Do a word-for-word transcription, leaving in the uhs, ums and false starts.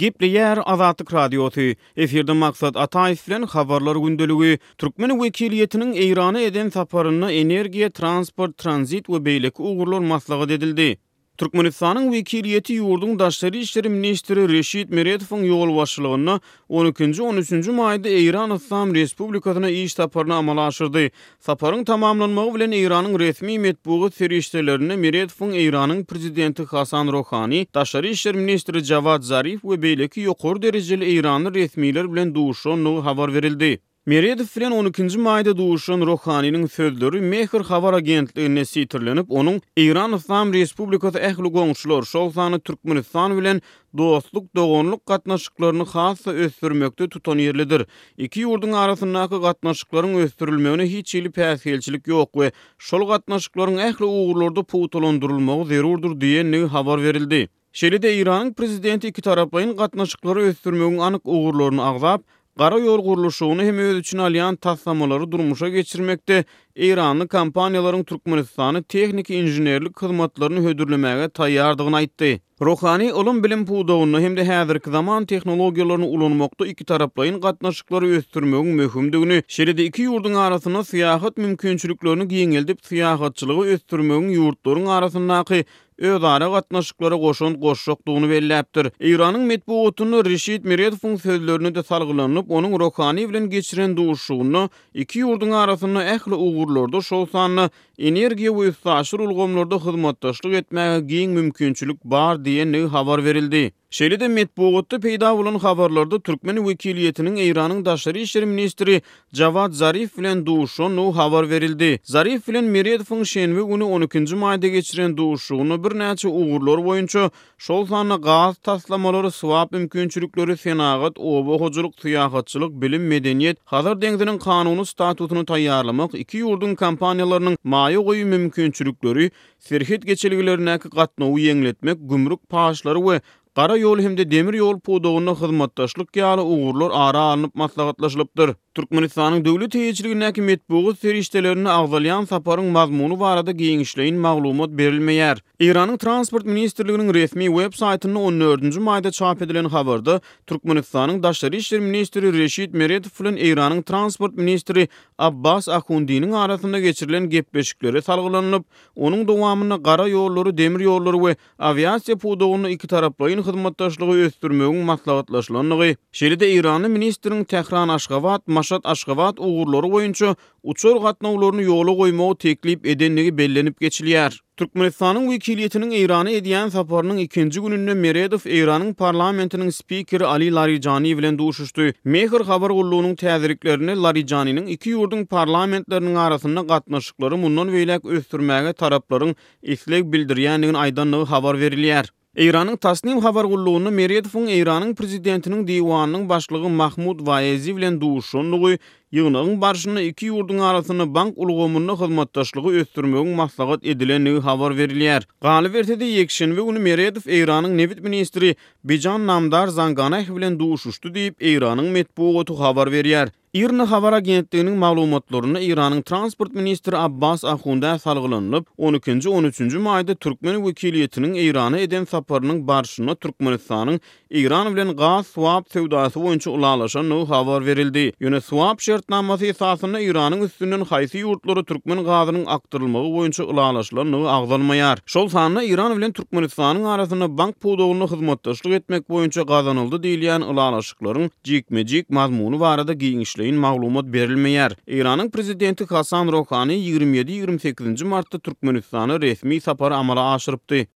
Gepleýär Azatlyk Radiosy. Efirde Maksat Ataýew bilen Habarlar gündeligi. Türkmen wekiliýetiniň Eýrana eden saparynda energiýa, transport, tranzit we beýleki ugurlar maslahat edildi. Türkmenistanyň wekiliýeti ýurduň daşary işler ministri Reşit Meredowyň ýolbaşçylygynda on ikinji-on üçünji maýda Eýran Yslam Respublikasyna iş saparyny amala aşyrdy. Saparyň tamamlanmagy bilen Eýranyň resmi metbugat serişdelerinde Meredowyň Eýranyň prezidenti Hasan Rohani, daşary işler ministri Jawad Zarif we beýleki ýokary derejeli eýranly resmiler bilen duşandygy habar berildi. Meredow bilen on ikinji maýda duşan Rohaniniň sözleri Mehr habar agentliginde sitirlenip, onuň Eýran Yslam Respublikasy ähli goňşular, şol sanda Türkmenistan bilen dostluk, doganlyk gatnaşyklaryny has-da ösdürmekde tutanýerlidir. Iki ýurduň arasyndaky gatnaşyklaryň ösdürilmegine hiç hili päsgelçilik ýok we şol gatnaşyklaryň ähli ugurlarda pugtalandyrylmagy zerurdyr diýendigi habar berildi. Şeýle-de Eýranyň prezidenti iki taraplaýyn gatnaşyklary ösdürmegiň anyk ugurlaryny agzap, gara ýol gurluşygyny hem öz içine alýan taslamalary durmuşa geçirmekde Eýranly kompaniýalaryň Türkmenistany tehniki inženerlik hyzmatlaryny hödürlemäge taýýardygyny aýtdy. Rohani ylym-bilim pudagynda hem-de häzirki zaman tehnologiýalaryny ulanmakda iki taraplaýyn gatnaşyklary ösdürmegiň möhümdigini, şeýle-de iki ýurduň arasynda syýahat mümkinçiliklerini giňeldip syýahatçylygy ösdürmegiň ýurtlaryň arasyndaky özara gatnaşyklara goşant goşjakdygyny belläpdir. Eýranyň metbugatynda Reşit Meredowyň sözlerine-de salgylanyp, onuň Rohani bilen geçiren duşuşygynda iki ýurduň arasynda ähli ugurlarda, şol sanda energiýa we üstaşyr ulgamlarda hyzmatdaşlyk etmäge giň mümkinçilik bar diýendigi habar berildi. Şeýle-de metbugatda peýda bolan habarlarda türkmen wekiliýetiniň Eýranyň daşary işler ministri Jawad Zarif bilen duşandygy habar berildi. Zarif bilen Meredowyň şenbe güni on ikinji maýda geçiren duşuşygynda birnäçe ugurlar boýunça, şol sanda gaz taslamalary, swap mümkinçilikleri, senagat, oba hojalyk, syýahatçylyk, bilim, medeniýet, Hazar deňziniň kanuny statusyny taýýarlamak, iki ýurduň kompaniýalarynyň maýa goýum mümkinçilikleri, serhet geçelgelerindäki gatnawy ýeňletmek, gümrük paçlary we gara ýol hem-de demir ýol pudagynda hyzmatdaşlyk ýaly ugurlar ara alnyp maslahatlaşylypdyr. Türkmenistanyň döwlet eýeçiligindäki metbugat serişdelerinde agzalýan saparyň mazmuny barada giňişleýin maglumat berilmeýär. Eýranyň Transport ministrliginiň resmi web saýtynda on dördünji maýda çap edilen habarda Türkmenistanyň daşary işler ministri Reşit Meredow bilen Eýranyň Transport ministri Abbas Ahundiniň arasynda geçirilen gepleşiklere salgylanyp, onuň dowamynda gara ýollary, demir ýollary we awiasiýa pudagynda iki taraplaýyn hyzmatdaşlygy ösdürmegiň maslahatlaşylandygy, şeýle-de Eýranly ministriň Tähran-Aşgabat, Maşat-Aşgabat ugurlary boýunça uçar gatnawlaryny ýola goýmagy teklip edendigi bellenip geçilýär. Türkmenistanyň wekiliýetiniň Eýrana edýän saparynyň ikinji gününde Meredow Eýranyň parlamentiniň spikeri Ali Larijani bilen duşuşdy. Mehr habar gullugynyň täzeliklerinde Larijaniniň iki ýurduň parlamentleriniň arasynda gatnaşyklary mundan beýläk ösdürmäge taraplaryň isleg bildirýändigini aýdandygy habar berilýär. Eýranyň Tasnim habar gullugynda Meredowyň Eýranyň prezidentiniň diwanynyň başlygy Mahmud Waezi bilen duşandygy, ýygnagyň barşynda iki ýurduň arasynda bank ulgamynda hyzmatdaşlygy ösdürmegiň maslahat edilendigi habar berilýär. Galyberse-de ýekşenbe güni Meredow Eýranyň nebit ministri Bijan Namdar Zanganeh bilen duşuşdy diýip, Eýranyň metbugaty habar berýär. IRNA habar agentliginiň maglumatlarynda Eýranyň transport ministri Abbas Ahundä salgylanyp, on ikinji-on üçünji maýda türkmen wekiliýetiniň Eýrana eden saparynyň barşynda Türkmenistanyň Eýran bilen gaz swap söwdasy boýunça ylalaşandygy habar berildi. Ýöne swap şertnamasy esasynda Eýranyň üstünden haýsy ýurtlara türkmen gazynyň akdyrylmagy boýunça ylalaşylandygy agzalmaýar. Şol sanda Eýran bilen Türkmenistanyň arasynda bank pudagynda hyzmatdaşlyk etmek boýunça gazanyldy diýilýän ylalaşyklaryň jikme-jik mazmuny barada giňişleýin maglumat berilmeýär. Eýranyň prezidenti Hasan Rohani ýigrimi ýedi-ýigrimi sekizinji martda Türkmenistana resmi sapary amala aşyrypdy.